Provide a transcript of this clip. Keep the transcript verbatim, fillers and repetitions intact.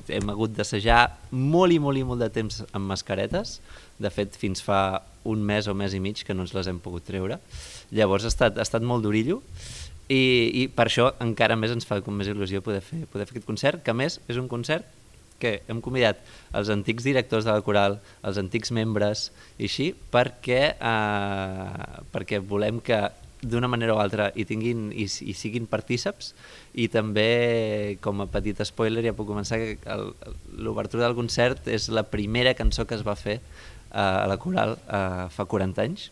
Hem hagut d'assajar molt i molt i molt de temps amb mascaretes. De fet, fins fa un mes o mes i mig que no ens les hem pogut treure. Llavors ha estat, ha estat molt d'orillo i, i per això encara més ens fa com més il·lusió poder fer, poder fer aquest concert, que a més és un concert que hem convidat els antics directors de la coral, els antics membres i així, perquè, eh, perquè volem que d'una manera o altra hi tinguin i, i siguin partíceps, i també, com a petit spoiler, ja puc començar que el- l'obertura del concert és la primera cançó que es va fer eh, a la coral eh, fa quaranta anys,